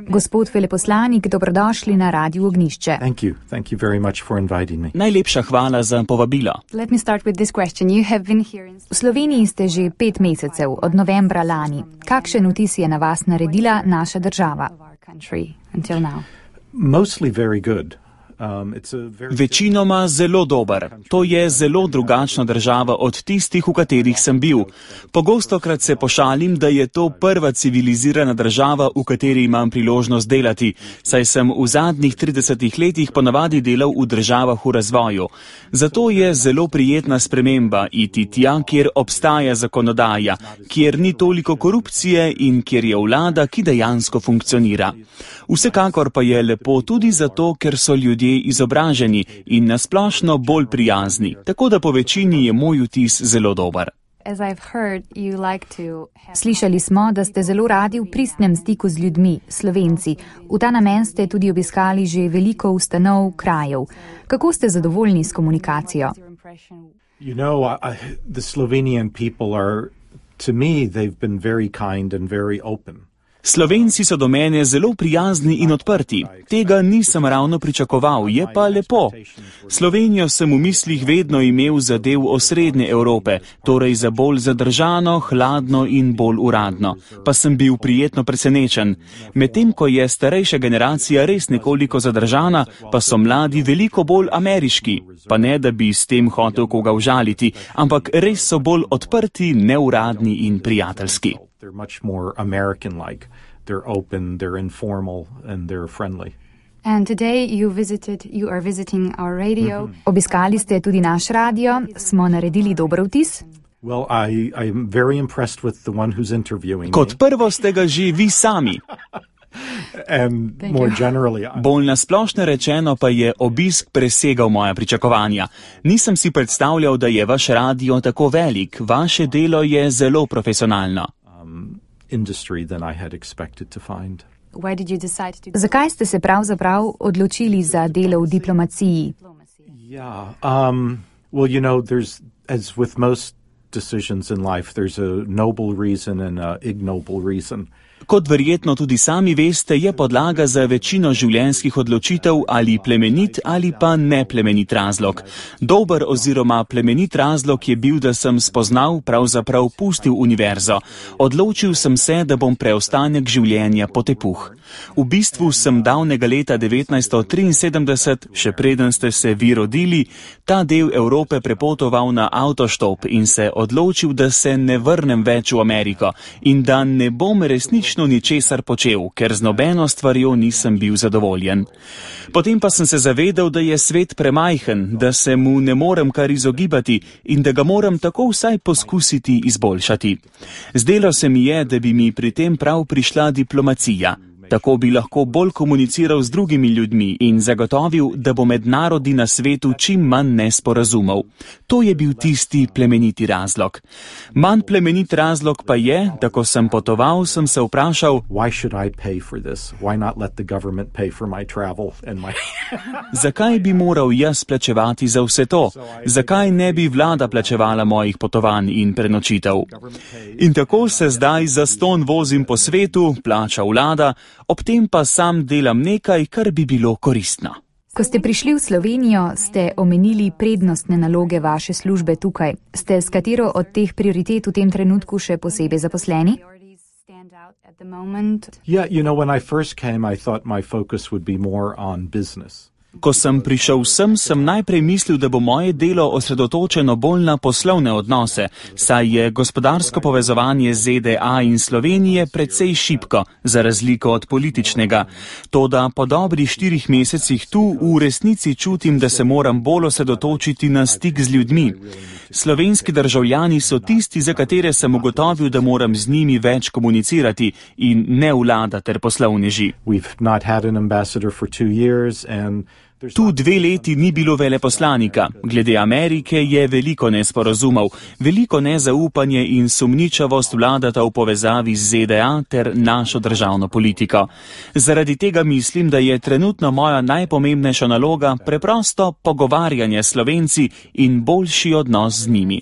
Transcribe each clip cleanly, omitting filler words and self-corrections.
Gospod veleposlanik, dobrodošli na Radiu Ognjišče. Thank you very much for inviting me. Najlepša hvala za povabilo. V Sloveniji ste že 5 mesecev, od novembra lani. Kakšen vtis je na vas naredila naša država? Mostly very good. Večinoma zelo dober. To je zelo drugačna država od tistih, v katerih sem bil. Pogostokrat se pošalim, da je to prva civilizirana država, v kateri imam priložnost delati, saj sem v zadnjih 30 letih ponavadi delal v državah v razvoju. Zato je zelo prijetna sprememba iti tja, kjer obstaja zakonodaja, kjer ni toliko korupcije in kjer je vlada, ki dejansko funkcionira. Vsekakor pa je lepo tudi zato, ker so ljudje izobraženi in nasplošno bolj prijazni, tako da po večini je moj vtis zelo dober. Slišali smo, da ste zelo radi v pristnem stiku z ljudmi, Slovenci. V ta namen ste tudi obiskali že veliko ustanov, krajev. Kako ste zadovoljni s komunikacijo? The Slovenian people are, to me, they've been very kind and very open. Slovenci so do mene zelo prijazni in odprti. Tega nisem ravno pričakoval, je pa lepo. Slovenijo sem v mislih vedno imel za del osrednje Evrope, torej za bolj zadržano, hladno in bolj uradno. Pa sem bil prijetno presenečen. Medtem ko je starejša generacija res nekoliko zadržana, pa so mladi veliko bolj ameriški. Pa ne, da bi s tem hotel koga užaliti, ampak res so bolj odprti, neuradni in prijateljski. They're much more American-like. They're open, they're informal, and they're friendly. And today you are visiting our radio. Obiskali ste tudi naš radio. Smo naredili dober vtis? Well, I'm very impressed with the one who's interviewing me. Kot prvo ste ga že vi sami. And more generally, Bolj nasplošno rečeno pa je obisk presegal moja pričakovanja. Nisem si predstavljal, da je vaš radio tako velik. Vaše delo je zelo profesionalno. Industry than I had expected to find. Zakaj ste se pravzaprav odločili za delo v diplomaciji? Yeah, well, there's, as with most decisions in life, there's a noble reason and an ignoble reason. Kot verjetno tudi sami veste, je podlaga za večino življenjskih odločitev ali plemenit ali pa neplemenit razlog. Dober oziroma plemenit razlog je bil, da sem spoznal, pravzaprav pustil univerzo. Odločil sem se, da bom preostanek življenja potepuh. V bistvu sem davnega leta 1973, še preden ste se vi rodili, ta del Evrope prepotoval na avtoštop in se odločil, da se ne vrnem več v Ameriko in da ne bom resnično ničesar počel, ker z nobeno stvarjo nisem bil zadovoljen. Potem pa sem se zavedal, da je svet premajhen, da se mu ne morem kar izogibati in da ga moram tako vsaj poskusiti izboljšati. Zdelo se mi je, da bi mi pri tem prav prišla diplomacija. Tako bi lahko bolj komuniciral z drugimi ljudmi in zagotovil, da bo med narodi na svetu čim manj nesporazumov. To je bil tisti plemeniti razlog. Manj plemenit razlog pa je, da ko sem potoval, sem se vprašal, zakaj bi moral jaz plačevati za vse to? Zakaj ne bi vlada plačevala mojih potovanj in prenočitev? In tako se zdaj zastonj vozim po svetu, plača vlada, ob tem pa sam delam nekaj, kar bi bilo koristno. Ko ste prišli v Slovenijo, ste omenili prednostne naloge vaše službe tukaj. Ste s katero od teh prioritet v tem trenutku še posebej zaposleni? Yeah, when I first came, I thought my focus would be more on business. Ko sem prišel sem najprej mislil, da bo moje delo osredotočeno bolj na poslovne odnose, saj je gospodarsko povezovanje ZDA in Slovenije precej šibko, za razliko od političnega. Toda po dobrih 4 mesecih tu v resnici čutim, da se moram bolj osredotočiti na stik z ljudmi. Slovenski državljani so tisti, za katere sem ugotovil, da moram z njimi več komunicirati in ne vlada ter poslovneži. We've not had an ambassador for 2 years and Tu 2 leti ni bilo veleposlanika. Glede Amerike je veliko nesporazumov, veliko nezaupanje in sumničavost vladata v povezavi z ZDA ter našo državno politiko. Zaradi tega mislim, da je trenutno moja najpomembnejša naloga preprosto pogovarjanje s Slovenci in boljši odnos z njimi.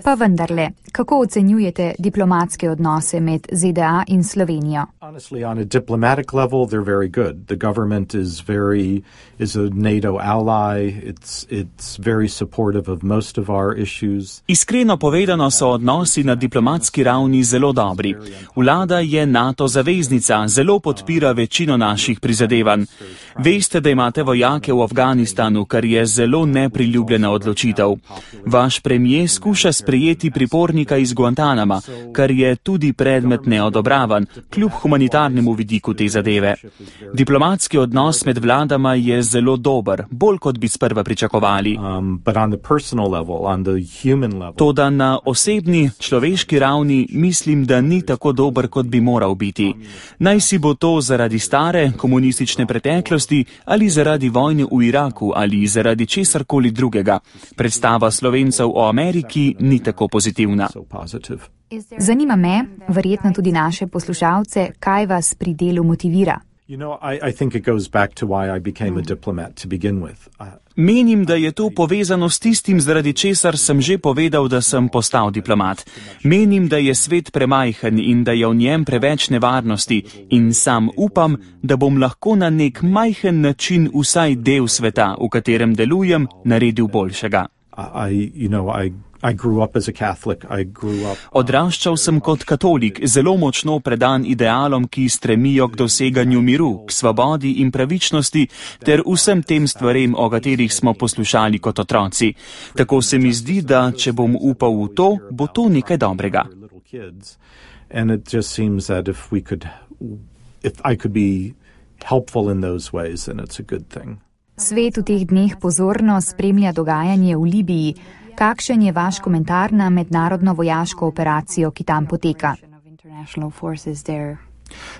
Pa vendarle, kako ocenjujete diplomatske odnose med ZDA in Slovenijo? Honestly, on a diplomatic level, they're very good. The government is a NATO ally. It's very supportive of most of our issues. Iskreno povedano so odnosi na diplomatski ravni zelo dobri. Vlada je NATO zaveznica, zelo podpira večino naših prizadevanj. Veste, da imate vojake v Afganistanu, kar je zelo nepriljubljena odločitev. Vaš premijer skuša sprejeti pripornika iz Guantanama, kar je tudi predmet neodobravanj, kljub humanitarnemu vidiku te zadeve. Diplomatski odnos med vladama je zelo dober, bolj kot bi sprva pričakovali. Toda na osebni, človeški ravni mislim, da ni tako dober, kot bi moral biti. Naj si bo to zaradi stare komunistične preteklosti ali zaradi vojne v Iraku ali zaradi česarkoli drugega. Predstava Slovencev o Ameriki ni tako pozitivna. Zanima me, verjetno tudi naše poslušalce, kaj vas pri delu motivira. I think it goes back to why I became a diplomat to begin with. Menim, da je to povezano s tistim, zaradi česar sem že povedal, da sem postal diplomat. Menim, da je svet premajhen in da je v njem preveč nevarnosti in sam upam, da bom lahko na nek majhen način vsaj del sveta, v katerem delujem, naredil boljšega. Odraščal sem kot katolik, zelo močno predan idealom, ki stremijo k doseganju miru, k svobodi in pravičnosti ter vsem tem stvarem, o katerih smo poslušali kot otroci. Tako se mi zdi, da če bom upal v to, bo to nekaj dobrega. Svet v teh dneh pozorno spremlja dogajanje v Libiji. Kakšen je vaš komentar na mednarodno vojaško operacijo, ki tam poteka?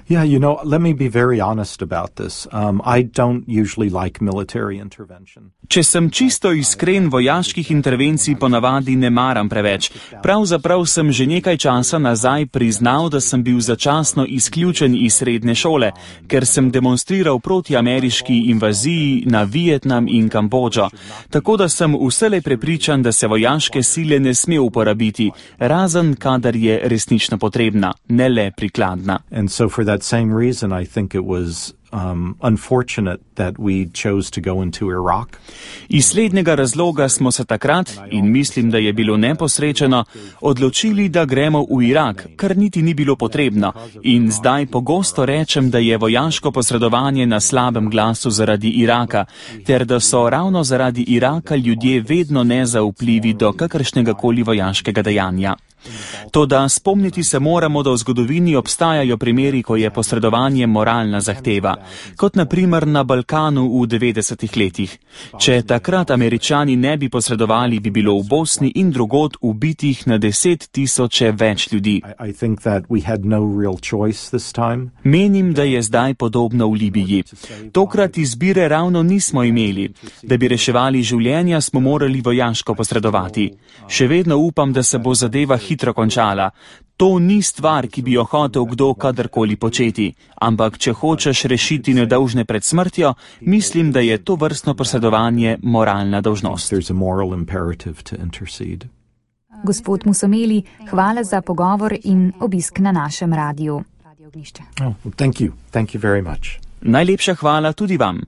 Yeah, let me be very honest about this. I don't usually like military intervention. Če sem čisto iskren, vojaških intervencij ponavadi ne maram preveč. Pravzaprav sem že nekaj časa nazaj priznal, da sem bil začasno izključen iz srednje šole, ker sem demonstriral proti ameriški invaziji na Vietnam in Kambodžo. Tako da sem vselej prepričan, da se vojaške sile ne sme uporabiti, razen kadar je resnično potrebna, ne le prikladna. So for that same reason, I think it was unfortunate that we chose to go into Iraq. Iz slednjega razloga smo se takrat, in mislim, da je bilo neposrečeno, odločili, da gremo v Irak, kar niti ni bilo potrebno. In zdaj pogosto rečem, da je vojaško posredovanje na slabem glasu zaradi Iraka, ter da so ravno zaradi Iraka ljudje vedno nezaupljivi do kakršnega koli vojaškega dejanja. Toda spomniti se moramo, da v zgodovini obstajajo primeri, ko je posredovanje moralna zahteva, kot na primer na Balkanu v 90-ih letih. Če takrat Američani ne bi posredovali, bi bilo v Bosni in drugod ubitih na 10.000 več ljudi. Menim, da je zdaj podobno v Libiji. Tokrat izbire ravno nismo imeli. Da bi reševali življenja, smo morali vojaško posredovati. Še vedno upam, da se bo zadeva hitro končala. To ni stvar, ki bi jo hotel kdo kadarkoli početi, ampak če hočeš rešiti nedolžne pred smrtjo, mislim, da je to vrstno posredovanje moralna dolžnost. Gospod Musomeli, hvala za pogovor in obisk na našem radiu. Thank you very much. Najlepša hvala tudi vam.